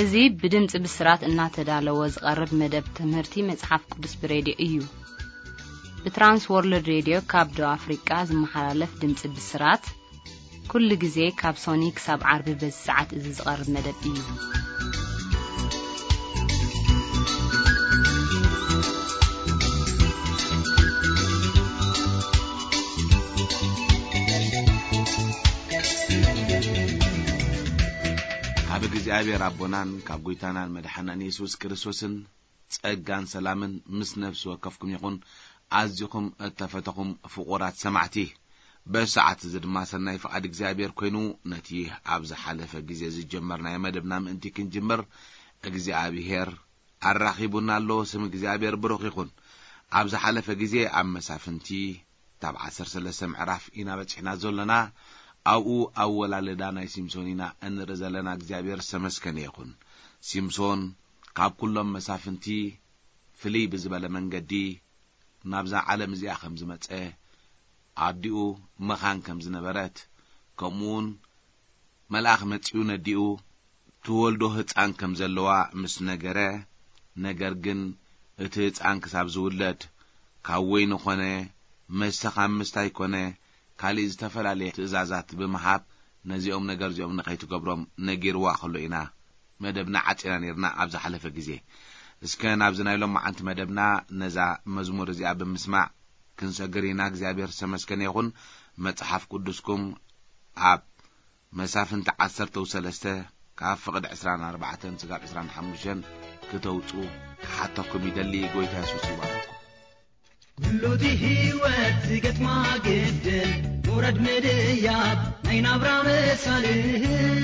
እዚ ብድምጺ ብስራት እናተዳለወ ዝቐርብ መደብ ትምህርቲ መጽሓፍ ቅዱስ ብሬድዮ እዩ። ብትራንስ ወርልድ ሬድዮ ካብ ደቡብ ኣፍሪቃ ዝመሓላለፍ ድምጺ ብስራት፣ ኩሉ ግዜ ካብ ሶኒ ክሳብ ዓርቢ በዚ ሰዓት እዚ ዝቐርብ መደብ እዩ። ካብ እግዚኣብሔር ኣቦናን ካብ ጎይታናን መድሓናን የሱስ ክርስቶስን ጸጋን ሰላምን ምስ ነፍሲ ወከፍኩም ይኹን። ኣዚኹም እተፈተኹም ፍቑራት ሰማዕቲ፣ በዚ ሰዓት እዚ ድማ ሰናይ ፍቓድ እግዚኣብሔር ኮይኑ፣ ነቲ ኣብ ዝሓለፈ ግዜ ዝጀመርናዮ መደብና ምእንቲ ክንጅምር እግዚኣብሔር ኣራኺቡና ኣሎ። ስም እግዚኣብሔር ብሩኽ ይኹን። ኣብ ዝሓለፈ ግዜ ኣብ መሳፍንቲ ታብ ዓሰርተ ሰለስተ ምዕራፍ ኢና በጺሕና ዘሎና። ኣብኡ ኣወላልዳ ናይ ሲምሶን ኢና እንርኢ ዘለና። እግዚኣብሔር ዝተመስገነ ይኹን። ሲምሶን ካብ ኩሎም መሳፍንቲ ፍልይ ብዝበለ መንገዲ ናብዛ ዓለም እዚኣ ከም ዝመጸ፣ ኣዲኡ መኻን ከም ዝነበረት፣ ከምኡውን መልኣኽ መጺኡ ነዲኡ ትወልዶ ህጻን ከም ዘለዋ ምስ ነገረ፣ ነገር ግን እቲ ህጻን ክሳብ ዝውለድ ካብ ወይኒ ኮነ መስተ ካብ ምስታይ ኮነ ካልእ ዝተፈላለየ ትእዛዛት ብምሃብ ነዚኦም ነገር እዚኦም ንኸይትገብሮም ነጊርዋ ከሎ ኢና መደብና ዓጺና ነይርና ኣብ ዝሓለፈ ግዜ። እስከ ናብዚ ናይ ሎማዓንቲ መደብና ነዛ መዝሙር እዚኣ ብምስማዕ ክንሰግር ኢና። እግዚኣብሔር ዝተመስገነ ይኹን። መጽሓፍ ቅዱስኩም ኣብ መሳፍንቲ ዓሰርተ ሰለስተ ካብ ፍቕዲ ዕስራን ኣርባዕተን ስጋብ ዕስራን ሓሙሽተን ክተውጹ ክሓተኩም ይደሊ። ጎይታ የሱስ ይባርኩም። ኩሉ እቲ ህይወት ዝገጥማ ግድል፣ ውረድ ምድያብ ናይ ናብራ መሳልል።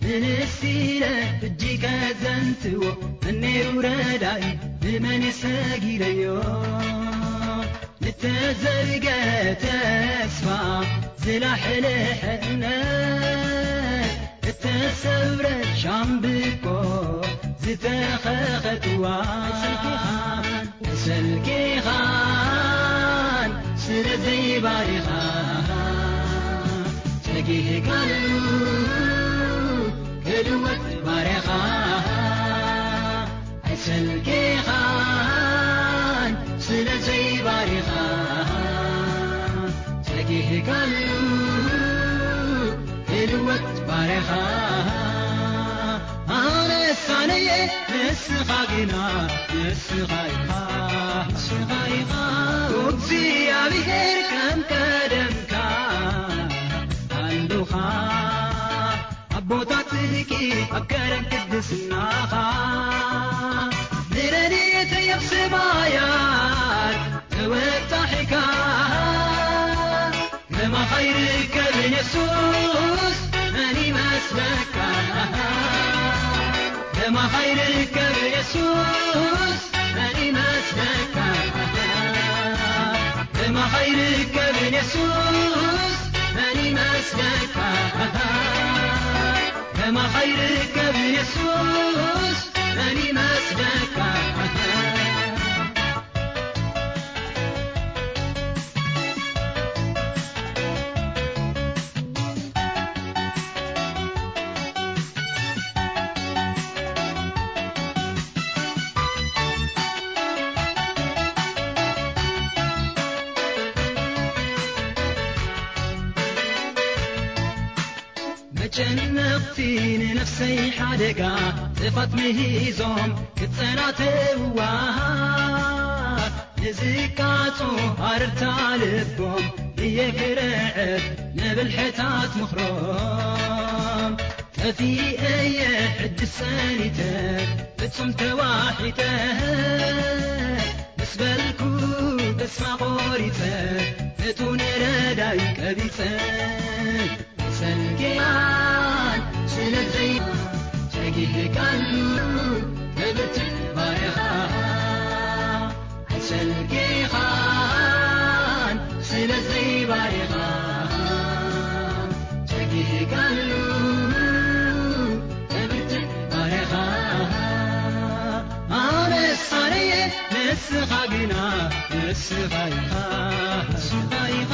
ምንስቲለ እጅ ከዘንትዎ፣ መነይ ውረዳይ ብመን የሰጊረዮ? ንተዘርገ ተስፋ ዝላሕልሐ እምነት፣ እተሰብረ ሻምብቆ ዝተኸኸትዋ። ሰልኪኻን ስለ ዘይባሪኻ፣ ጸጊህካሉ ክልወጥ ባሪኻ። ኣይሰልኪኻን ስለ ዘይባሪኻ፣ ጸጊህካሉ ክልወጥ ባሪኻ። ኣነ ሳነየ ንስኻ ግና ንስኻ ኢኻ፣ ንስኻ ኢኻ። እግዚኣብሔር ከም ቀደምካ ኣሉኻ። ኣቦታት ጽድቂ ኣብ ከረን ቅድስናኻ፣ ንረድኤተይ ኣብ ሰማያት ተወጣሒካ። ከማኻ ይርከብ የሱስ መን ይመስለካ? ከማኻ ይርከብ የሱስ መን ይመስለካ? ከማኻ ይርከብ የሱስ መን ይመስለካ? ከማኻ ይርከብ የሱስ መን ይመስለካ? መጨነቕቲ ንነፍሰይ ሓደጋ ጥፋት ምሂዞም ክጸናተውዋ፣ ንዝቃጾ ኣርታ ልቦም እየ ክርዕድ ንብልሕታት ምኽሮም። ጠፊኤ እየ ሕጂ ሰኒተ ፍጹም ተዋሒጠ፣ ምስ በልኩ ተስፋ ቆሪጸ፣ እቱ ንረዳይ ቀቢጸ። ሰልኪኻን ስለዘይ ጸጊህካሉ ክብርትዕ ባሪኻ። ኣይሰልኪኻን ስለዘይ ባሪኻ። ጸጊህካሉ ክብርትዕ ባሪኻ። ኣነ ሳነየ ንስኻ ግና ንስኻ ኢኻ፣ ንስኻ ኢኻ።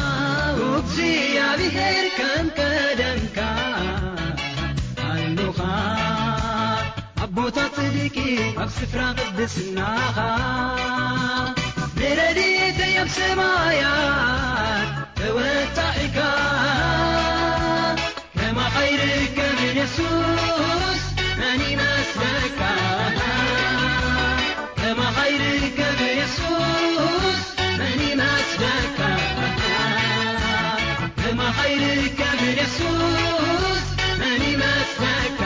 እግዚኣብሔር ከም ቀደምካ ኣሉኻ። ኣብ ስፍራ ቅድስናኻ ንረድኤተይ ኣብ ሰማያት ተወጣሒካ ከማኻ ይርከብ የሱስ መን ይመስለካ ከማኻ ይርከብ የሱስ መን ይመስለካ ከማኻ ይርከብ የሱስ መን ይመስለካ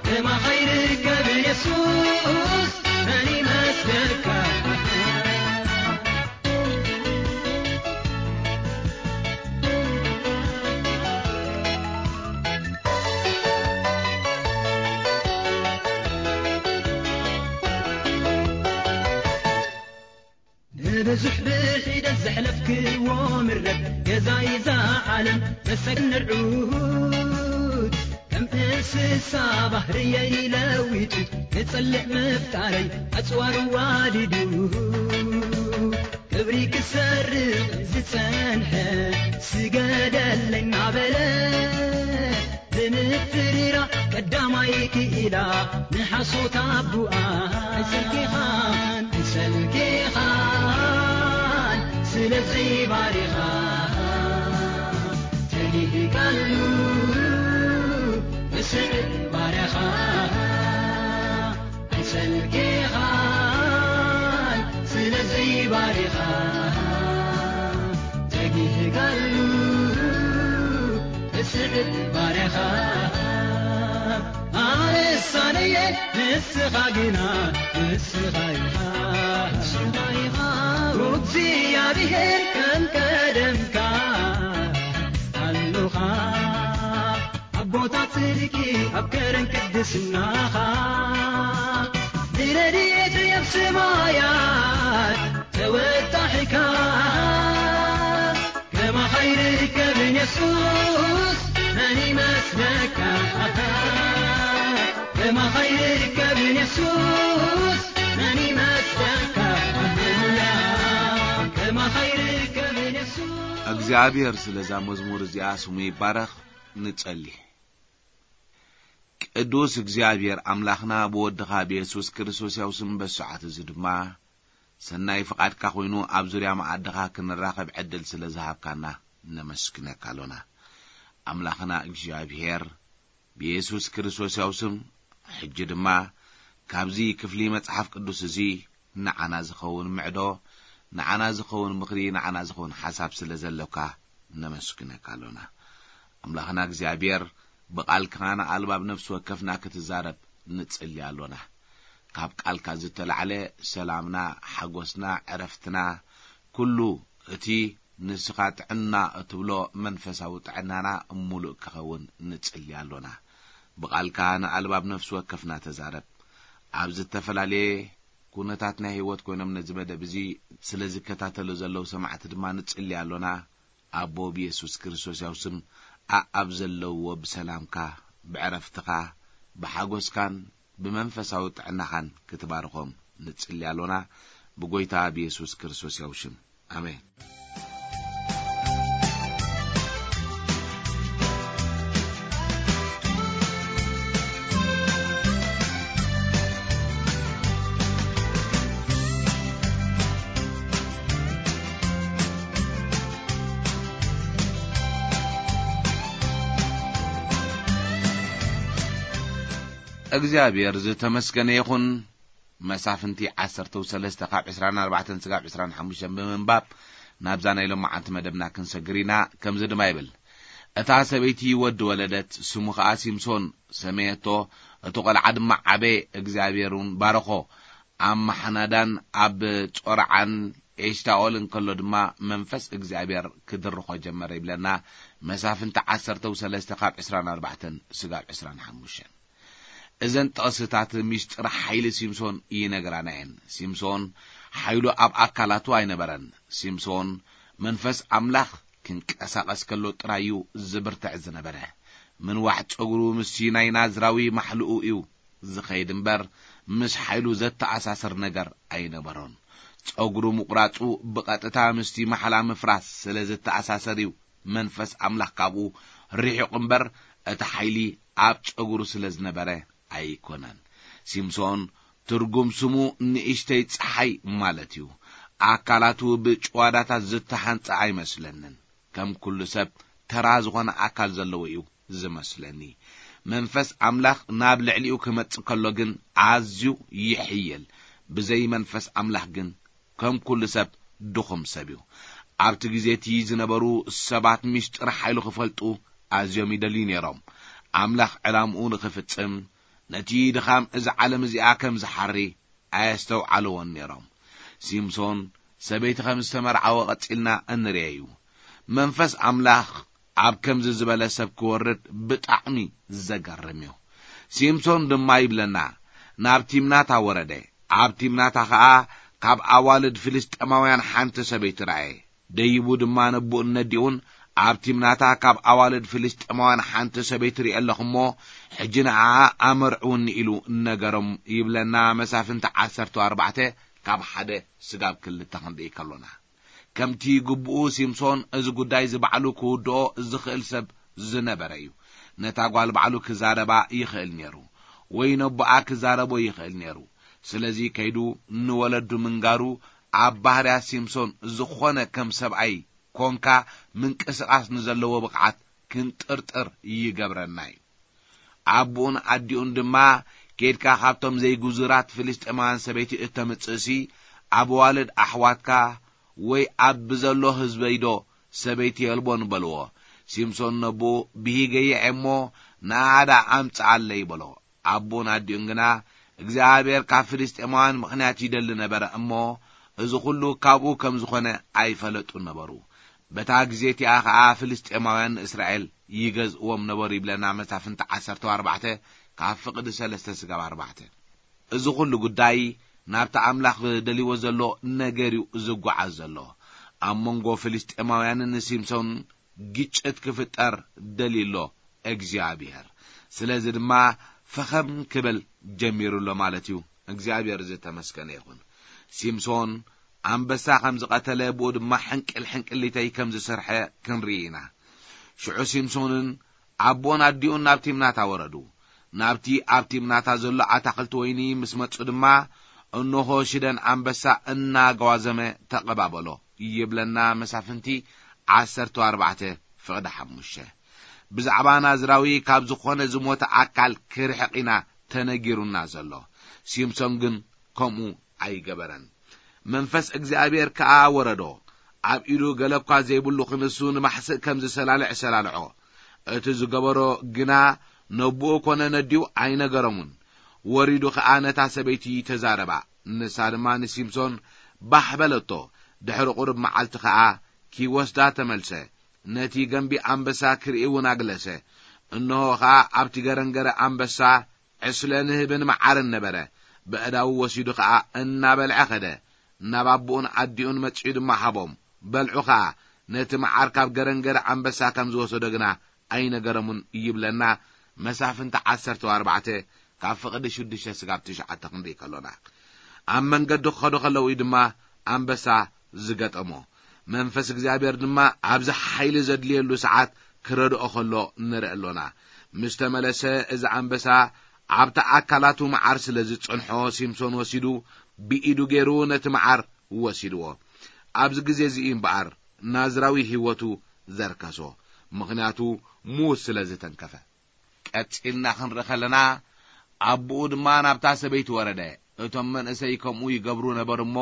ከማኻ ይርከብ የሱስ መን ይመስለካ ንብዙሕ ብሒደት ዘሕለፍክዎ ምረት ገዛይ እዛ ዓለም መሰግን ንርዑት ከም እንስሳ ባህርየይ ለዊጡ ንጸልእ ምፍጣረይ ኣጽዋሩ ዋዲዱ ክብሪ ክሰርቕ ዝጸንሐ ስገደለይ እናበለ ብምፍርራ ቀዳማይ ክኢላ ንሓሶት ኣቡኣ ኣይሰልኪኻን ኣይሰልኪኻን ስለዚ ባሪኻ ተጊህካሉ ብስዕብ ባርያኻ ኣይሰልኪኻን ስለዚ ባሪኻ ተጊህካሉ ብስዕብ ባርያኻ ኣነሳነየ ንስኻ ግና ንስኻ ኢኻ ንስኻ ኢኻ እግዚኣብሔር ከም ቀደምካ ኣሉኻ ኣብ ቦታ ጽድቂ ኣብ ከረን ቅድስናኻ ንረድኤት ኣብ ሰማያት ተወጣሒካ ከማኻ ይርከብን የሱስ መን ይመስለካ ከማኻ ይርከብን የሱስ መን ይመስለካ ሃሌሉያ ከማኻ ይርከብን የሱስ እግዚኣብሔር ስለዛ መዝሙር እዚኣ ስሙ ይባረኽ። ንጸሊ። ቅዱስ እግዚኣብሔር ኣምላኽና ብወድኻ ብየሱስ ክርስቶስ ያው ስም በሰዓት እዚ ድማ ሰናይ ፍቓድካ ኮይኑ ኣብ ዙርያ መኣድኻ ክንራኸብ ዕድል ስለ ዝሃብካና ነመስግነካ ኣሎና። ኣምላኽና እግዚኣብሔር ብየሱስ ክርስቶስ ያው ስም ሕጂ ድማ ካብዚ ክፍሊ መጽሓፍ ቅዱስ እዚ ንዓና ዝኸውን ምዕዶ፣ ንዓና ዝኸውን ምኽሪ፣ ንዓና ዝኸውን ሓሳብ ስለ ዘሎካ ነመስግነካ ኣሎና። ኣምላኽና እግዚኣብሔር ብቓልካ ንኣልባብ ነፍሲ ወከፍና ክትዛረብ ንጽሊ ኣሎና። ካብ ቃልካ ዝተላዕለ ሰላምና፣ ሓጎስና፣ ዕረፍትና፣ ኩሉ እቲ ንስኻ ጥዕና እትብሎ መንፈሳዊ ጥዕናና ምሉእ ክኸውን ንጽሊ ኣሎና። ብቓልካ ንኣልባብ ነፍሲ ወከፍና ተዛረብ። ኣብ ዝተፈላለየ ኩነታት ናይ ህይወት ኮይኖም ነዚ መደብ እዚ ስለ ዝከታተሉ ዘለዉ ሰማዕቲ ድማ ንጽሊ ኣሎና። ኣቦ ብየሱስ ክርስቶስ ያው ስም ኣኣብ ዘለውዎ ብሰላምካ፣ ብዕረፍትኻ፣ ብሓጎስካን ብመንፈሳዊ ጥዕናኻን ክትባርኾም ንጽሊ ኣሎና። ብጎይታ ብየሱስ ክርስቶስ ያው ሽም። ኣሜን። እግዚኣብሔር ዝተመስገነ ይኹን። መሳፍንቲ ዓሰርተ ሰለስተ ካብ ዕስራን ኣርባዕተን ስጋብ ዕስራን ሓሙሽተን ብምንባብ ናብዛ ናይ ሎማዓንቲ መደብና ክንሰግር ኢና። ከምዚ ድማ ይብል፣ እታ ሰበይቲ ወዲ ወለደት፣ ስሙ ኸኣ ሲምሶን ሰመየቶ። እቲ ቖልዓ ድማ ዓበየ፣ እግዚኣብሔር እውን ባረኾ። ኣብ ማሓናዳን ኣብ ጾርዓን ኤሽታኦል እንከሎ ድማ መንፈስ እግዚኣብሔር ክድርኾ ጀመረ ይብለና። መሳፍንቲ ዓሰርተ ሰለስተ ካብ ዕስራን ኣርባዕተን ስጋብ ዕስራን ሓሙሽተን። እዘን ጥቕስታት ሚስጥር ሓይሊ ሲምሶን ይነግራና እየን። ሲምሶን ሓይሉ ኣብ ኣካላቱ ኣይነበረን። ሲምሶን መንፈስ ኣምላኽ ክንቀሳቐስ ከሎ ጥራይ እዩ ዝብርትዕ ዝነበረ። ምንዋሕ ጸጉሩ ምስቲ ናይ ናዝራዊ ማሕልኡ እዩ ዝኸይድ እምበር፣ ምስ ሓይሉ ዘተኣሳስር ነገር ኣይነበሮን። ጸጉሩ ምቑራጹ ብቐጥታ ምስቲ ማሕላ ምፍራስ ስለ ዝተኣሳሰር እዩ መንፈስ ኣምላኽ ካብኡ ርሒቑ እምበር፣ እቲ ሓይሊ ኣብ ጸጉሩ ስለ ዝነበረ ኣይኮነን። ሲምሶን ትርጉም ስሙ ንእሽተይ ጸሓይ ማለት እዩ። ኣካላቱ ብጭዋዳታት ዝተሓንጸ ኣይመስለንን። ከም ኩሉ ሰብ ተራ ዝኾነ ኣካል ዘለዎ እዩ ዝመስለኒ። መንፈስ ኣምላኽ ናብ ልዕሊኡ ክመጽእ ከሎ ግን ኣዝዩ ይሕይል። ብዘይ መንፈስ ኣምላኽ ግን ከም ኩሉ ሰብ ድኹም ሰብ እዩ። ኣብቲ ግዜ እቲ ዝነበሩ ሰባት ምስጢር ሓይሉ ክፈልጡ ኣዝዮም ይደልዩ ነይሮም። ኣምላኽ ዕላምኡ ንኽፍጽም ነቲ ድኻም እዛ ዓለም እዚኣ ከም ዝሓሪ ኣየስተውዓልዎን ነይሮም። ሲምሶን ሰበይቲ ከም ዝተመርዓወ ቀጺልና እንርኤ እዩ። መንፈስ ኣምላኽ ኣብ ከምዚ ዝበለ ሰብ ክወርድ ብጣዕሚ ዘገርም እዩ። ሲምሶን ድማ ይብለና፣ ናብ ቲምናታ ወረደ። ኣብ ቲምናታ ኸኣ ካብ ኣዋልድ ፍልስጤማውያን ሓንቲ ሰበይቲ ረኣየ። ደይቡ ድማ ነቡእን ነዲኡን፣ ኣብ ቲምናታ ካብ ኣዋልድ ፍልስጤማውያን ሓንቲ ሰበይቲ ርኢ ኣለኹ እሞ፣ ሕጂ ንዓኣ ኣመርዕውኒ ኢሉ ነገሮም ይብለና። መሳፍንቲ ዓሰርተ ኣርባዕተ ካብ ሓደ ስጋብ ክልተ ክንርኢ ከሎና፣ ከምቲ ግቡኡ ሲምሶን እዚ ጉዳይ እዚ ባዕሉ ክውድኦ ዝኽእል ሰብ ዝነበረ እዩ። ነታ ጓል ባዕሉ ክዛረባ ይኽእል ነይሩ፣ ወይ ነቦኣ ክዛረቦ ይኽእል ነይሩ። ስለዚ ከይዱ ንወለዱ ምንጋሩ ኣብ ባህርያ ሲምሶን ዝኾነ ከም ሰብኣይ ኮንካ ምንቅስቓስ ንዘለዎ ብቕዓት ክንጥርጥር ይገብረና እዩ። ኣቦኡን ኣዲኡን ድማ፣ "ኬድካ ካብቶም ዘይግዙራት ፍልስጤማውያን ሰበይቲ እተምጽእሲ፣ ኣብ ኣዋልድ ኣሕዋትካ ወይ ኣብ ብዘሎ ህዝበይዶ ሰበይቲ የልቦን?" በልዎ። ሲምሶን ነቦኡ፣ "ብሂገ እየ እሞ ንኣኣ ደኣ ኣምጽኣለይ" በሎ። ኣቦኡን ኣዲኡን ግና፣ እግዚኣብሔር ካብ ፍልስጤማውያን ምኽንያት ይደሊ ነበረ እሞ፣ እዚ ኹሉ ካብኡ ከም ዝኾነ ኣይፈለጡን ነበሩ። በታ ግዜ እቲኣ ኸኣ ፍልስጤማውያን ንእስራኤል ይገዝእዎም ነበሩ ይብለና መሳፍንቲ ዓሰርተ ኣርባዕተ ካብ ፍቕዲ ሰለስተ ስጋብ ኣርባዕተ። እዚ ኹሉ ጉዳይ ናብቲ ኣምላኽ ደልይዎ ዘሎ ነገር እዩ ዝጓዓዝ ዘሎ። ኣብ መንጎ ፍልስጤማውያንን ንሲምሶን ግጭት ክፍጠር ደልዩ ኣሎ እግዚኣብሔር። ስለዚ ድማ ፈኸም ክብል ጀሚሩ ኣሎ ማለት እዩ። እግዚኣብሔር ዝተመስገነ ይኹን። ሲምሶን ኣንበሳ ከም ዝቐተለ፣ ብኡ ድማ ሕንቅል ሕንቅሊተይ ከም ዝሰርሐ ክንርኢ ኢና። ሽዑ ሲምሶንን ኣቦን ኣዲኡን ናብ ቲምናታ ወረዱ። ናብቲ ኣብ ቲምናታ ዘሎ ኣታኽልቲ ወይኒ ምስ መጹ ድማ፣ እንሆ ሽደን ኣንበሳ እናጓዘመ ተቐባበሎ ይብለና መሳፍንቲ ዓሰርተ ኣርባዕተ ፍቕዲ ሓሙሽተ። ብዛዕባ ናዝራዊ ካብ ዝኾነ ዝሞተ ኣካል ክርሕቕ ኢና ተነጊሩና ዘሎ። ሲምሶን ግን ከምኡ ኣይገበረን። መንፈስ እግዚኣብሔር ከኣ ወረዶ። ኣብ ኢዱ ገለ እኳ ዘይብሉ ክንሱ ንማሕስእ ከም ዝሰላልዕ ሰላልዖ። እቲ ዝገበሮ ግና ነቦኡ ኮነ ነዲኡ ኣይነገሮሙን። ወሪዱ ኸኣ ነታ ሰበይቲ ተዛረባ። ንሳ ድማ ንሲምሶን ባሕ በለቶ። ድሕሪ ቁሩብ መዓልቲ ኸኣ ኪወስዳ ተመልሰ። ነቲ ገንቢ ኣንበሳ ክርኢ እውን ኣግለሰ። እንሆ ኸኣ ኣብቲ ገረንገረ ኣንበሳ ዕስለ ንህብን መዓርን ነበረ። በእዳዉ ወሲዱ ኸኣ እናበልዐ ኸደ። ናብ ኣቦኡን ኣዲኡን መጺኡ ድማ ሃቦም። በልዑ ኸኣ። ነቲ መዓር ካብ ገረንገረ ኣንበሳ ከም ዝወሰዶ ግና ኣይነገረሙን ይብለና መሳፍንቲ ዓሰርተ ኣርባዕተ ካብ ፍቕዲ ሽዱሽተ ስጋብ ትሽዓተ ክንርኢ ከሎና። ኣብ መንገዲ ክኸዱ ከለዉ እዩ ድማ ኣንበሳ ዝገጠሞ። መንፈስ እግዚኣብሔር ድማ ኣብዚ ሓይሊ ዘድልየሉ ሰዓት ክረድኦ ከሎ ንርኢ ኣሎና። ምስ ተመለሰ እዚ ኣንበሳ ኣብቲ ኣካላቱ መዓር ስለ ዝጸንሖ ሲምሶን ወሲዱ ብኢዱ ገይሩ ነቲ መዓር ወሲድዎ። ኣብዚ ግዜ እዚ እዩ እምበኣር ናዝራዊ ህይወቱ ዘርከሶ፣ ምኽንያቱ ምዉት ስለ ዝተንከፈ። ቀጺልና ክንርኢ ከለና፣ ኣቦኡ ድማ ናብታ ሰበይቲ ወረደ። እቶም መንእሰይ ከምኡ ይገብሩ ነበሩ እሞ፣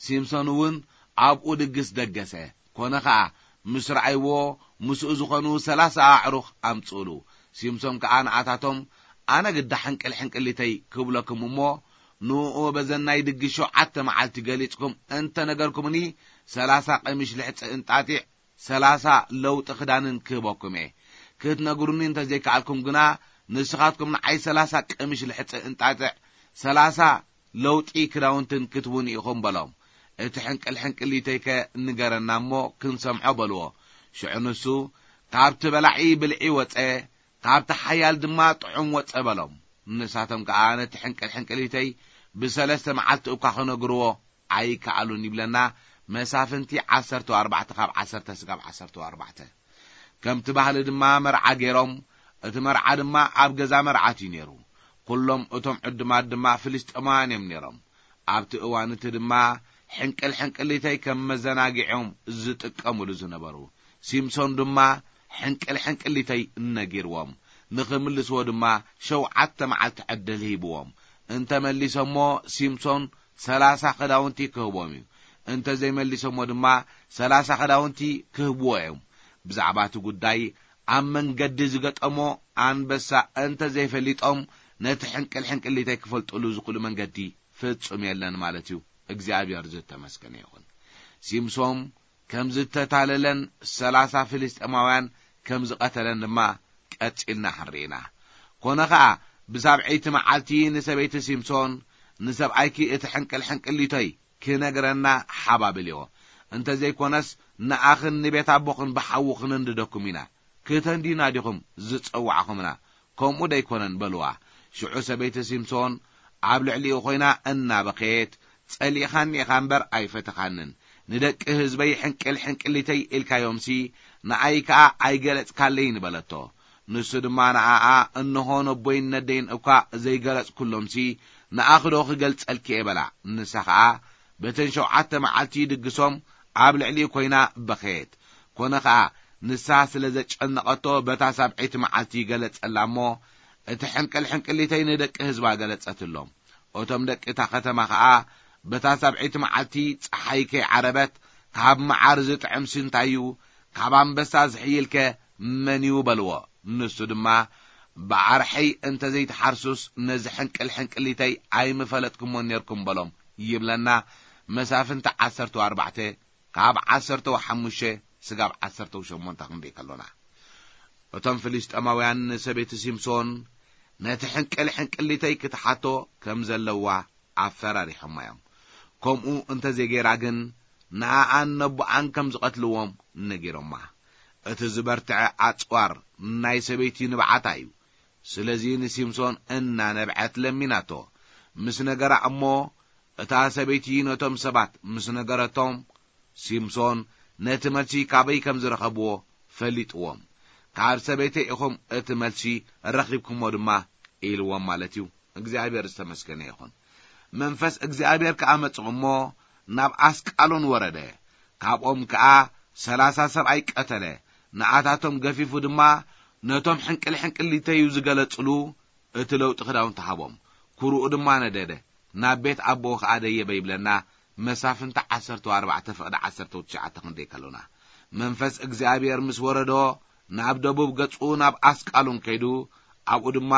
ሲምሶን እውን ኣብኡ ድግስ ደገሰ። ኮነ ኸኣ፣ ምስ ረኣይዎ፣ ምስኡ ዝኾኑ ሰላሳ ኣዕሩኽ ኣምጽኡሉ። ሲምሶን ከኣ ንኣታቶም፣ ኣነ ግዳ ሕንቅል ሕንቅሊተይ ክብለኩም እሞ፣ ንእኡ በዘን ናይ ድግስ ሸውዓተ መዓልቲ ገሊጽኩም እንተ ነገርኩምኒ፣ ሰላሳ ቀሚሽ ልሕጺ እንጣጢዕ፣ ሰላሳ ለውጢ ክዳንን ክህበኩም እየ። ክትነግሩኒ እንተ ዘይከኣልኩም ግና፣ ንስኻትኩም ንዓይ ሰላሳ ቀሚሽ ልሕጺ እንጣጢዕ፣ ሰላሳ ለውጢ ክዳውንትን ክትቡን ኢኹም በሎም። እቲ ሕንቅል ሕንቅሊተይከ ንገረና እሞ ክንሰምዖ በልዎ። ሽዑ ንሱ፣ ካብቲ በላዒ ብልዒ ወጸ፣ ካብቲ ሓያል ድማ ጥዑም ወጸ በሎም። ንሳቶም ከኣ ነቲ ሕንቅል ሕንቅሊተይ ብሰለስተ መዓልቲ እኳ ክነግርዎ ኣይከኣሉን ይብለና መሳፍንቲ ዓሰርተ ኣርባዕተ ካብ ዓሰርተ ስጋብ ዓሰርተ ኣርባዕተ። ከምቲ ባህሊ ድማ መርዓ ገይሮም፣ እቲ መርዓ ድማ ኣብ ገዛ መርዓት እዩ ነይሩ። ኩሎም እቶም ዕዱማት ድማ ፍልስጤማውያን እዮም ነይሮም። ኣብቲ እዋን እቲ ድማ ሕንቅል ሕንቅሊተይ ከም መዘናግዒኦም ዝጥቀምሉ ዝነበሩ። ሲምሶን ድማ ሕንቅል ሕንቅሊተይ ነጊርዎም። ንኽምልስዎ ድማ ሸውዓተ መዓልቲ ዕድል ሂብዎም። እንተመሊሶሞ ሲምሶን ሰላሳ ክዳውንቲ ክህቦም እዩ። እንተዘይመሊሶሞ ድማ ሰላሳ ክዳውንቲ ክህብዎ እዮም። ብዛዕባ እቲ ጉዳይ ኣብ መንገዲ ዝገጠሞ ኣንበሳ እንተዘይፈሊጦም ነቲ ሕንቅል ሕንቅሊተይ ክፈልጥሉ ዝኽእሉ መንገዲ ፍጹም የለን ማለት እዩ። እግዚኣብሔር ዝተመስገነ ይኹን። ሲምሶን ከም ዝተታለለን ሰላሳ ፍልስጤማውያን ከም ዝቐተለን ድማ ቀጺልና ክንርኢና። ኮነ ኸኣ ብሳብዐይቲ መዓልቲ ንሰበይቲ ሲምሶን፣ "ንሰብኣይኪ እቲ ሕንቅል ሕንቅሊተይ ክነግረና ሓባብልዮ። እንተዘይኮነስ ንኣኽን ንቤት ኣቦኽን ብሓዊ ክንንድደኩም ኢና። ክተንዲና ዲኹም ዝጸዋዕኹምና? ከምኡ ደይኮነን?" በልዋ። ሽዑ ሰበይቲ ሲምሶን ኣብ ልዕሊኡ ኾይና እናበኸየት፣ "ጸሊእኻኒ ኢኻ እምበር ኣይፈተኻንን። ንደቂ ህዝበይ ሕንቅል ሕንቅሊተይ ኢልካዮምሲ፣ ንኣይ ከኣ ኣይገለጽካለይን?" በለቶ። ንሱ ድማ ንኣኣ፣ "እንሆ ነቦይን ነደይን እኳ ዘይገለጽኩሎምሲ፣ ንኣኽዶ ክገልጸልኪ እየ?" በላ። ንሳ ኸኣ በተን ሸውዓተ መዓልቲ ድግሶም ኣብ ልዕሊኡ ኮይና በኸየት። ኮነ ኸኣ ንሳ ስለ ዘጨነቐቶ በታ ሳብዐይቲ መዓልቲ ገለጸላ እሞ፣ "እቲ ሕንቅል ሕንቅሊተይ ንደቂ ህዝባ ገለጸትሎም። እቶም ደቂ እታ ከተማ ኸኣ በታ ሳብዐይቲ መዓልቲ ጸሓይ ከይዓረበት፣ 'ካብ መዓር ዝጥዕምሲ እንታይ እዩ? ካብ ኣንበሳ ዝሕይልከ መን እዩ?' በልዎ። ንሱ ድማ፣ 'ብኣርሐይ እንተ ዘይትሓርሱስ ነዚ ሕንቅል ሕንቅሊተይ ኣይምፈለጥኩሞን ኔርኩም' በሎም" ይብለና። መሳፍንቲ ዓሰርተ ኣርባዕተ ካብ ዓሰርተ ሓሙሽተ ስጋብ ዓሰርተ ሸሞንተ ክንርኢ ከሎና፣ እቶም ፍልስጤማውያን ንሰበይቲ ሲምሶን ነቲ ሕንቅል ሕንቅሊተይ ክትሓቶ ከም ዘለዋ ኣፈራሪሖማ እዮም። ከምኡ እንተ ዘይገይራ ግን ንኣኣን ነቦኣን ከም ዝቐትልዎም ነጊሮማ። እቲ ዝበርትዐ ኣጽዋር ናይ ሰበይቲ ንብዓታ እዩ። ስለዚ ንሲምሶን እናነብዐት ለሚናቶ። ምስ ነገራ እሞ፣ እታ ሰበይቲ ነቶም ሰባት ምስ ነገረቶም፣ ሲምሶን ነቲ መልሲ ካበይ ከም ዝረኸብዎ ፈሊጥዎም። "ካብ ሰበይተይ ኢኹም እቲ መልሲ ረኺብኩሞ ድማ" ኢልዎም ማለት እዩ። እግዚኣብሔር ዝተመስገነ ይኹን። መንፈስ እግዚኣብሔር ከኣ መጽእ እሞ ናብ ኣስቃሎን ወረደ። ካብኦም ከኣ ሰላሳ ሰብኣይ ቀተለ። ንኣታቶም ገፊፉ ድማ ነቶም ሕንቅል ሕንቅሊተዩ ዝገለጽሉ እቲ ለውጢ ክዳውንቲ ሃቦም። ኩርኡ ድማ ነደደ። ናብ ቤት ኣቦኡ ከኣ ደየበ ይብለና። መሳፍንቲ ዓሰርተ ኣርባዕተ ፍቕዲ ዓሰርተ ትሽዓተ ክንደይ ከሎና፣ መንፈስ እግዚኣብሔር ምስ ወረዶ፣ ናብ ደቡብ ገጹ ናብ ኣስቃሉን ከይዱ፣ ኣብኡ ድማ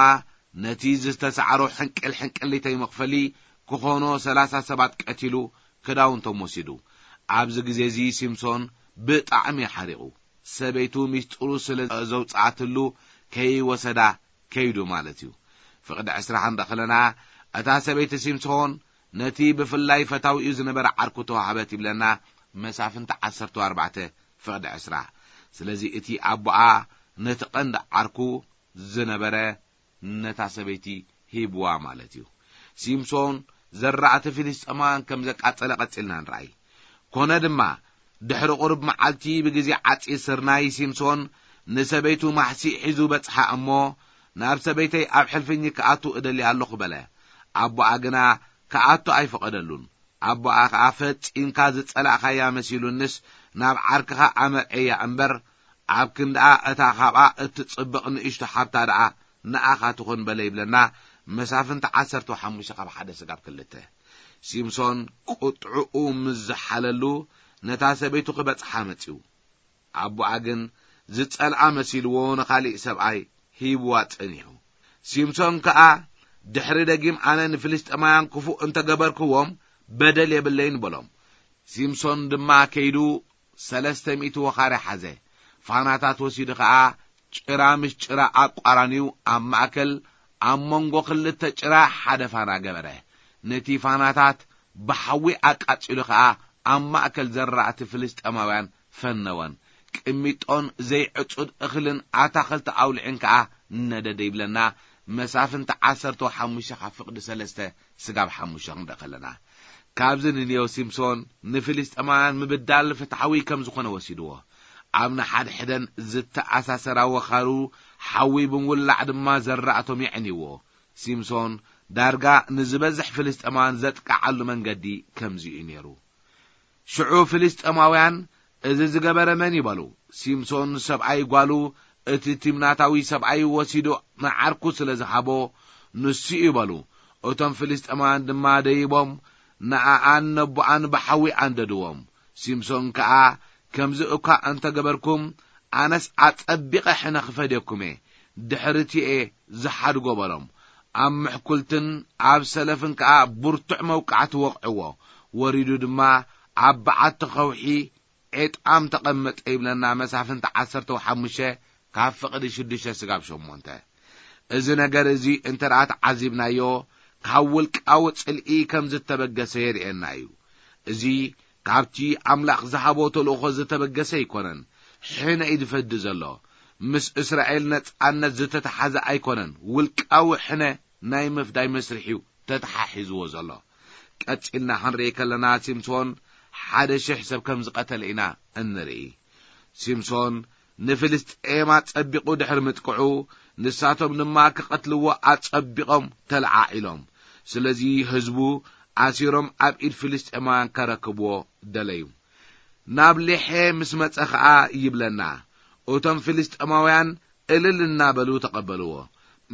ነቲ ዝተሳዕሮ ሕንቅል ሕንቅሊተይ መኽፈሊ ክኾኖ ሰላሳ ሰባት ቀቲሉ፣ ክዳውንቶም ወሲዱ። ኣብዚ ግዜ እዚ ሲምሶን ብጣዕሚ ሓሪቑ። ሰበይቱ ሚስጥሩ ስለ ዘውጽኣትሉ ከይወሰዳ ከይዱ ማለት እዩ። ፍቕዲ ዕስራ ክንርኢ ከለና፣ እታ ሰበይቲ ሲምሶን ነቲ ብፍላይ ፈታዊኡ ዝነበረ ዓርኩ ተዋህበት ይብለና። መሳፍንቲ ዓሰርተ ኣርባዕተ ፍቕዲ ዕስራ። ስለዚ እቲ ኣቦኣ ነቲ ቀንዲ ዓርኩ ዝነበረ ነታ ሰበይቲ ሂብዋ ማለት እዩ። ሲምሶን ዘራእቲ ፍልስጤማውያን ከም ዘቃጸለ ቀጺልና ንርኣይ። ኮነ ድማ፣ ድሕሪ ቁሩብ መዓልቲ ብግዜ ዓጺድ ስርናይ ሲምሶን ንሰበይቱ ማሕሲእ ሒዙ በጽሓ እሞ፣ "ናብ ሰበይተይ ኣብ ሕልፍኝ ክኣቱ እደሊ ኣለኹ" በለ። ኣቦኣ ግና ክኣቱ ኣይፈቐደሉን። ኣቦኣ ኸኣ "ፈጺምካ ዝጸላእካያ መሲሉንስ ናብ ዓርክኻ ኣመርዐያ እምበር፣ ኣብ ክንድኣ እታ ካብኣ እትጽብቕ ንእሽቶ ሓብታ ደኣ ንኣኻ ትኹን" በለ ይብለና። መሳፍንቲ ዓሰርተ ሓሙሽተ ካብ ሓደ ስጋብ ክልተ። ሲምሶን ቁጥዕኡ ምስ ዝሓለሉ ነታ ሰበይቱ ክበጽሓ መጺኡ። ኣቦኣ ግን ዝጸልኣ መሲልዎ ንኻሊእ ሰብኣይ ሂብዋ ጸኒሑ። ሲምሶን ከኣ፣ "ድሕሪ ደጊም ኣነ ንፍልስጤማውያን ክፉእ እንተ ገበርክዎም በደል የብለይን" በሎም። ሲምሶን ድማ ከይዱ ሰለስተ ሚእቲ ወኻርያ ሓዘ። ፋናታት ወሲዱ ኸኣ ጭራ ምስ ጭራ ኣቋራንዩ ኣብ ማእከል ኣብ መንጎ ክልተ ጭራ ሓደ ፋና ገበረ። ነቲ ፋናታት ብሓዊ ኣቃጺሉ ኸኣ ኣብ ማእከል ዘራእቲ ፍልስጤማውያን ፈነወን። ቅሚጦን ዘይዕጹድ እኽልን ኣታኽልቲ ኣውልዕን ከኣ ነደደ ይብለና። መሳፍንቲ ዓሰርተ ሓሙሽተ ካብ ፍቕዲ ሰለስተ ስጋብ ሓሙሽተ ክንርኢ ከለና፣ ካብዚ ንንዮ ሲምሶን ንፍልስጤማውያን ምብዳል ፍትሓዊ ከም ዝኾነ ወሲድዎ። ኣብ ንሓድሕደን ዝተኣሳሰራ ወኻሩ ሓዊ ብምውላዕ ድማ ዘራእቶም የዕንይዎ። ሲምሶን ዳርጋ ንዝበዝሕ ፍልስጤማውያን ዘጥቅዓሉ መንገዲ ከምዚ እዩ ነይሩ። ሽዑ ፍልስጤማውያን፣ "እዚ ዝገበረ መን እዩ?" በሉ። ሲምሶን፣ ሰብኣይ ጓሉ፣ እቲ ቲምናታዊ ሰብኣይ ወሲዱ ንዓርኩ ስለ ዝሃቦ፣ ንሱ እዩ በሉ። እቶም ፍልስጤማውያን ድማ ደይቦም፣ ንኣኣን ነቦኣን ብሓዊ ኣንደድዎም። ሲምሶን ከኣ፣ "ከምዚ እኳ እንተ ገበርኩም፣ ኣነስ ኣጸቢቐ ሕነ ክፈድየኩም እየ፣ ድሕሪ እቲ እየ ዝሓድጎ" በሎም። ኣብ ምሕኩልትን ኣብ ሰለፍን ከኣ ብርቱዕ መውቃዕቲ ወቕዕዎ። ወሪዱ ድማ ኣብ በዓቲ ኸውሒ ዔጣም ተቐመጠ ይብለና መሳፍንቲ ዓሰርተ ሓሙሽተ ካብ ፍቕዲ ሽዱሽተ ስጋብ ሸሞንተ። እዚ ነገር እዚ እንተ ደኣ ተዓዚብናዮ፣ ካብ ውልቃዊ ጽልኢ ከም ዝተበገሰ የርእየና እዩ። እዚ ካብቲ ኣምላኽ ዝሃቦ ተልእኾ ዝተበገሰ ኣይኮነን። ሕነ እዩ ዝፈዲ ዘሎ። ምስ እስራኤል ነጻነት ዝተተሓዘ ኣይኮነን። ውልቃዊ ሕነ ናይ ምፍዳይ መስርሕ እዩ ተተሓሒዝዎ ዘሎ። ቀጺልና ክንርኢ ከለና፣ ሲምሶን ሓደ ሽሕ ሰብ ከም ዝቐተለ ኢና እንርኢ። ሲምሶን ንፍልስጤም ኣጸቢቑ ድሕሪ ምጥቅዑ፣ ንሳቶም ድማ ክቐትልዎ ኣጸቢቖም ተለዓዒሎም። ስለዚ ህዝቡ ኣሲሮም ኣብ ኢድ ፍልስጤማውያን ከረክብዎ ደለዩ። ናብ ሌሔ ምስ መጸ ኸኣ ይብለና፣ እቶም ፍልስጤማውያን እልል እናበሉ ተቐበልዎ።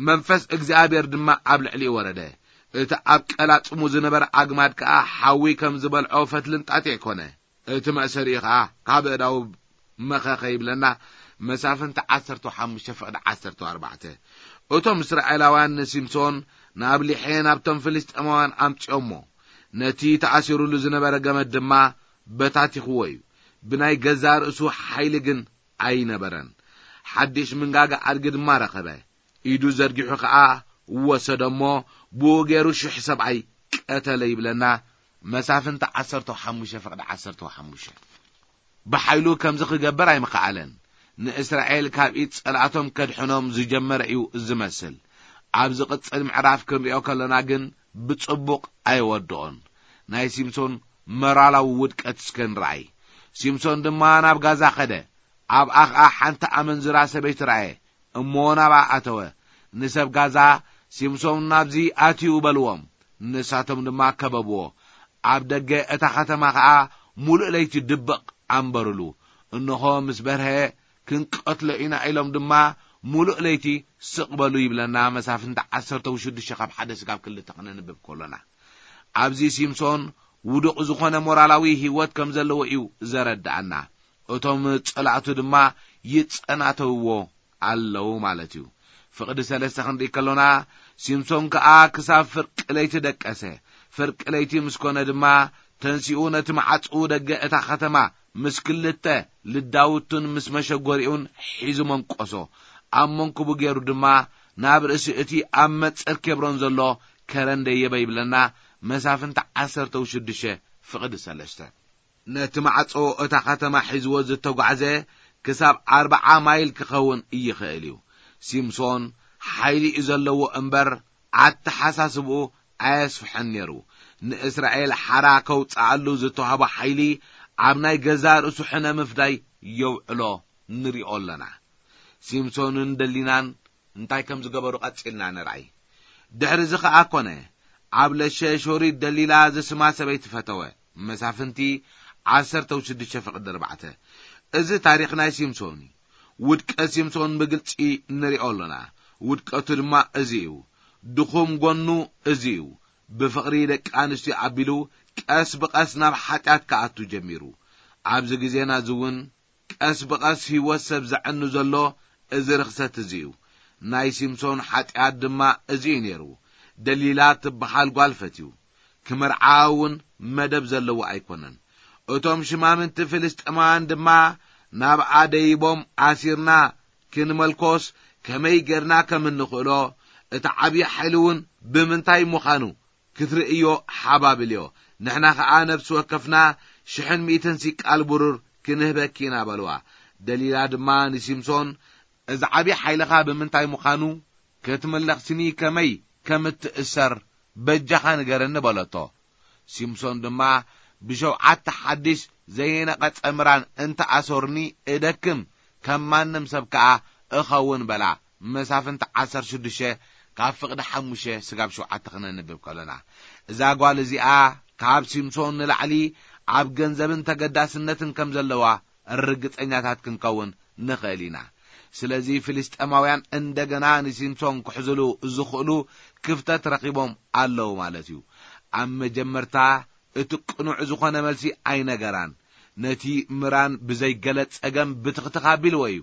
መንፈስ እግዚኣብሔር ድማ ኣብ ልዕሊኡ ወረደ። እቲ ኣብ ቀላጽሙ ዝነበረ ኣግማድ ከኣ ሓዊ ከም ዝበልዖ ፈትልን ጣጢዕ ኮነ። እቲ መእሰሪኡ ኸኣ ካብ ኣእዳዉ መኸኸ ይብለና መሳፍንቲ ዓሰርተ ሓሙሽተ ፍቕዲ ዓሰርተ ኣርባዕተ። እቶም እስራኤላውያን ንሲምሶን ናብ ሊሔ ናብቶም ፍልስጤማውያን ኣምጺኦሞ። ነቲ ተኣሲሩሉ ዝነበረ ገመድ ድማ በታቲኽዎ እዩ። ብናይ ገዛእ ርእሱ ሓይሊ ግን ኣይነበረን። ሓድሽ ምንጋጋ ኣድጊ ድማ ረኸበ። ኢዱ ዘርጊሑ ኸኣ ወሰዶ እሞ ብኡ ገይሩ ሽሕ ሰብኣይ ቀተለ ይብለና መሳፍንቲ ዓሰርተ ሓሙሽተ ፍቕዲ ዓሰርተ ሓሙሽተ። ብሓይሉ ከምዚ ክገብር ኣይምኸኣለን። ንእስራኤል ካብ ኢድ ጸላእቶም ከድሕኖም ዝጀመረ እዩ ዝመስል። ኣብ ዝቕጽል ምዕራፍ ክንሪኦ ከለና ግን ብጽቡቕ ኣይወድኦን። ናይ ሲምሶን መራላዊ ውድቀት እስከ ንረኣይ። ሲምሶን ድማ ናብ ጋዛ ኸደ። ኣብኣ ኸኣ ሓንቲ ኣመንዝራ ሰበይቲ ረኣየ። እሞ ናብኣ ኣተወ። ንሰብ ጋዛ፣ "ሲምሶን ናብዚ ኣትዩ" በልዎም። ንሳቶም ድማ ከበብዎ። ኣብ ደገ እታ ኸተማ ኸኣ ምሉእ ለይቲ ድብቕ ኣንበሩሉ። እንሆ ምስ በርሀ ክንቀትሎ ኢና ኢሎም ድማ ምሉእ ለይቲ ስቕ በሉ ይብለና መሳፍንቲ ዓሰርተ ሽዱሽተ ካብ ሓደ ስጋብ ክልተ ክነንብብ ከሎና። ኣብዚ ሲምሶን ውዱቕ ዝኾነ ሞራላዊ ህይወት ከም ዘለዎ እዩ ዘረድኣና። እቶም ጸላእቱ ድማ ይጸናተውዎ ኣለዉ ማለት እዩ። ፍቕዲ ሰለስተ ክንርኢ ከሎና፣ ሲምሶን ከኣ ክሳብ ፍርቂ ለይቲ ደቀሰ። ፍርቂ ለይቲ ምስ ኮነ ድማ ተንሲኡ ነቲ መዓጽኡ ደገ እታ ኸተማ ምስ ክልተ ልዳውቱን ምስ መሸጎሪኡን ሒዙ መንቆሶ። ኣብ መንኩቡ ገይሩ ድማ ናብ ርእሲ እቲ ኣብ መጸር ኬብሮን ዘሎ ከረን ደየበ ይብለና መሳፍንቲ ዓሰርተ ሽዱሽተ ፍቕዲ ሰለስተ። ነቲ ማዕጾ እታ ከተማ ሒዝዎ ዝተጓዕዘ ክሳብ ኣርብዓ ማይል ክኸውን ይኽእል እዩ። ሲምሶን ሓይሊ እዩ ዘለዎ እምበር ኣተሓሳስብኡ ኣየስፍሐን ነይሩ። ንእስራኤል ሓራ ከውጽኣሉ ዝተዋህቦ ሓይሊ ኣብ ናይ ገዛእ ርእሱ ሕነ ምፍዳይ የውዕሎ ንሪኦ ኣለና። ሲምሶንን ደሊናን እንታይ ከም ዝገበሩ ቀጺልና ንርኣይ። ድሕሪ እዚ ኸኣ ኮነ፣ ኣብ ለሸ ሾሪት ደሊላ ዝስማ ሰበይቲ ፈተወ። መሳፍንቲ ዓሰርተ ሽዱሽተ ፍቕዲ ኣርባዕተ። እዚ ታሪኽ ናይ ሲምሶን እዩ። ውድቀት ሲምሶን ብግልጺ ንሪኦ ኣሎና። ውድቀቱ ድማ እዚ እዩ። ድኹም ጎኑ እዚ እዩ። ብፍቕሪ ደቂ ኣንስትዮ ኣቢሉ ቀስ ብቐስ ናብ ሓጢኣት ክኣቱ ጀሚሩ። ኣብዚ ግዜና እዚ እውን ቀስ ብቐስ ህይወት ሰብ ዘዕኑ ዘሎ እዚ ርኽሰት እዚ እዩ። ናይ ሲምሶን ሓጢኣት ድማ እዚ እዩ ነይሩ። ደሊላ ትበሃል ጓል ፈትዩ። ክምርዓ እውን መደብ ዘለዎ ኣይኮነን። እቶም ሽማምንቲ ፍልስጥማውያን ድማ ናብኣ ደይቦም ኣሲርና ክንመልኮስ ከመይ ጌርና ከም እንኽእሎ፣ እቲ ዓብዪ ሓይሊ እውን ብምንታይ ምዃኑ ክትርእዮ ሓባብልዮ። ንሕና ኸኣ ነፍሲ ወከፍና ሽሕን ሚእትን ሲቃል ብሩር ክንህበኪ ኢና በልዋ። ደሊላ ድማ ንሲምሶን፣ እዚ ዓብዪ ሓይልኻ ብምንታይ ምዃኑ ክትምለኽስኒ ከመይ ከም እትእሰር በጃኻ ንገረኒ በለቶ። ሲምሶን ድማ ብሸውዓተ ሓድሽ ዘይነቐጸ ምራን እንተ ኣሰርኒ እደክም፣ ከም ማንም ሰብ ከኣ እኸውን በላ። መሳፍንቲ ዓሰርተ ሽዱሽተ ካብ ፍቕዲ ሓሙሽተ ስጋብ ሸውዓተ ክነንብብ ከሎና፣ እዛ ጓል እዚኣ ካብ ሲምሶን ንላዕሊ ኣብ ገንዘብን ተገዳስነትን ከም ዘለዋ ርግጸኛታት ክንከውን ንኽእል ኢና። ስለዚ ፍልስጤማውያን እንደገና ንሲምሶን ክሕዝሉ ዝኽእሉ ክፍተት ረኺቦም ኣለዉ ማለት እዩ። ኣብ መጀመርታ እቲ ቅኑዕ ዝኾነ መልሲ ኣይነገራን። ነቲ ምራን ብዘይ ገለ ጸገም ብትኽትኽ ኣቢልዎ እዩ።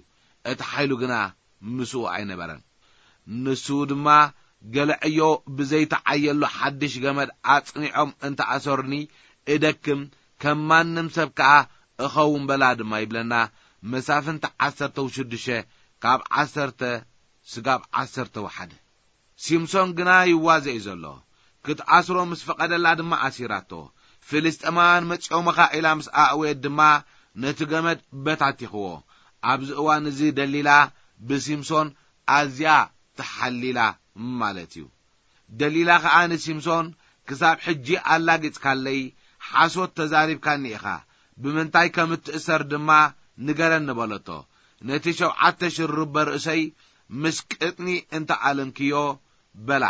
እቲ ሓይሉ ግና ምስኡ ኣይነበረን። ንሱ ድማ፣ "ገለ ዕዮ ብዘይተዓየሉ ሓድሽ ገመድ ኣጽኒዖም እንተ ኣሰሩኒ እደክም፣ ከም ማንም ሰብ ከኣ እኸውን በላ" ድማ ይብለና። መሳፍንቲ ዓሰርተ ሽዱሽተ ካብ ዓሰርተ ስጋብ ዓሰርተ ሓደ። ሲምሶን ግና ይዋዘ እዩ ዘሎ። ክትኣስሮ ምስ ፈቐደላ ድማ ኣሲራቶ። ፍልስጤማውያን መጺኦምኻ ኢላ ምስ ኣእወየት ድማ ነቲ ገመድ በታቲኽዎ። ኣብዚ እዋን እዚ ደሊላ ብሲምሶን ኣዝያ ተሓሊላ ማለት እዩ። ደሊላ ኸኣ ንሲምሶን፣ "ክሳብ ሕጂ ኣላጊጽካለይ፣ ሓሶት ተዛሪብካኒ ኢኻ፣ ብምንታይ ከም እትእሰር ድማ ንገረኒ" በለቶ። "ነቲ ሸውዓተ ሽሩበ ርእሰይ ምስ ቅጥኒ እንተ ኣለምክዮ" በላ።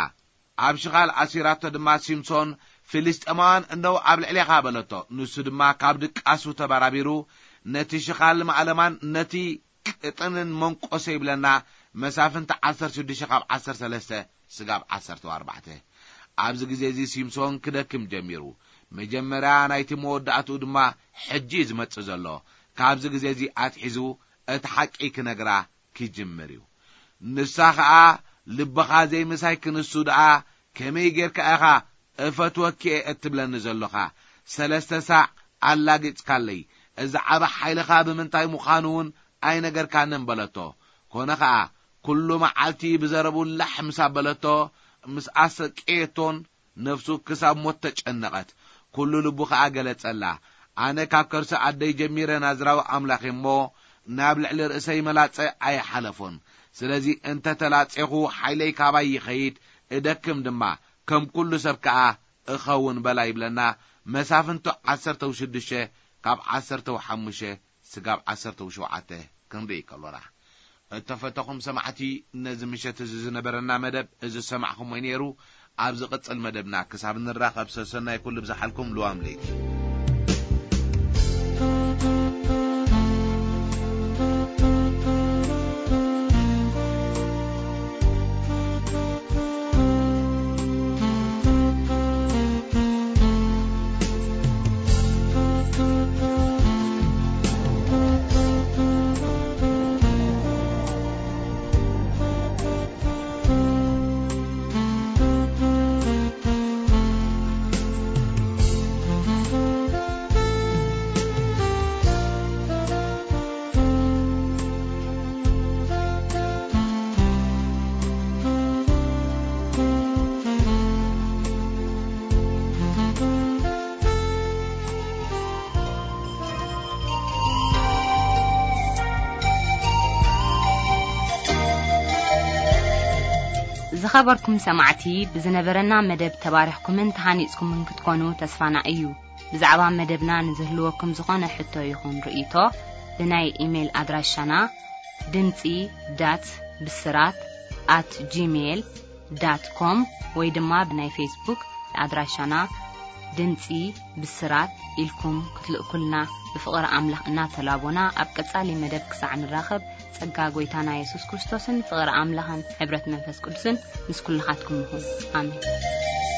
ኣብ ሽኻል ኣሲራቶ ድማ ሲምሶን፣ "ፍልስጤማውያን እነሆ ኣብ ልዕሌኻ" በለቶ። ንሱ ድማ ካብ ድቃሱ ተበራቢሩ ነቲ ሽኻል ማእለማን ነቲ ቅጥንን መንቆሰ ይብለና። መሳፍንቲ ዓሰርተ ሽዱሽተ ካብ ዓሰርተ ሰለስተ ስጋብ ዓሰርተ ኣርባዕተ። ኣብዚ ግዜ እዚ ሲምሶን ክደክም ጀሚሩ። መጀመርያ ናይቲ መወዳእትኡ ድማ ሕጂ እዩ ዝመጽእ ዘሎ። ካብዚ ግዜ እዚ ኣትሒዙ እቲ ሓቂ ክነግራ ክጅምር እዩ። ንሳ ኸኣ፣ "ልብኻ ዘይምሳይ ክንሱ ደኣ ከመይ ጌርካ ኢኻ እፈትወኪ እየ እትብለኒ ዘሎኻ? ሰለስተ ሳዕ ኣላጊጽካለይ፣ እዚ ዓቢ ሓይልኻ ብምንታይ ምዃኑ እውን ኣይነገርካንን" በለቶ። ኮነ ኸኣ፣ ኩሉ መዓልቲ ብዘረቡ ላሕ ምስ ኣበለቶ፣ ምስ ኣሰቀየቶን፣ ነፍሱ ክሳብ ሞት ተጨነቐት። ኩሉ ልቡ ኸኣ ገለጸላ። ኣነ ካብ ከርሲ ኣደይ ጀሚረ ናዝራዊ ኣምላኽ እየ እሞ፣ ናብ ልዕሊ ርእሰይ መላጸ ኣይሓለፎን። ስለዚ እንተ ተላጼኹ፣ ሓይለይ ካባይ ይኸይድ፣ እደክም ድማ፣ ከም ኩሉ ሰብ ከኣ እኸውን በላ ይብለና። መሳፍንቱ ዓሰርተ ሽዱሽተ ካብ ዓሰርተ ሓሙሽተ ስጋብ ዓሰርተ ሸውዓተ ክንርኢ ከሎና። እተፈተኹም ሰማዕቲ፣ ነዚ ምሸት እዚ ዝነበረና መደብ እዚ ዝሰማዕኹሞ ነይሩ። ኣብ ዝቕጽል መደብና ክሳብ ንራኸብ፣ ሰሰናይ ኩሉ ብዝሓልኩም ልዋም ለይቲ። ዝኸበርኩም ሰማዕቲ፣ ብዝነበረና መደብ ተባሪኽኩምን ተሃኒጽኩምን ክትኮኑ ተስፋና እዩ። ብዛዕባ መደብና ንዝህልወኩም ዝኾነ ሕቶ ይኹን ርእይቶ፣ ብናይ ኢሜይል ኣድራሻና ድምጺ ዳት ብስራት ኣት ጂሜይል ዳት ኮም ወይ ድማ ብናይ ፌስቡክ ኣድራሻና ድምጺ ብስራት ኢልኩም ክትልእኩልና ብፍቕሪ ኣምላኽ እናተላቦና፣ ኣብ ቀጻሊ መደብ ክሳዕ ንራኸብ፣ ጸጋ ጐይታና የሱስ ክርስቶስን ፍቕሪ ኣምላኽን ሕብረት መንፈስ ቅዱስን ምስ ኩልኻትኩም ይኹን። ኣሜን።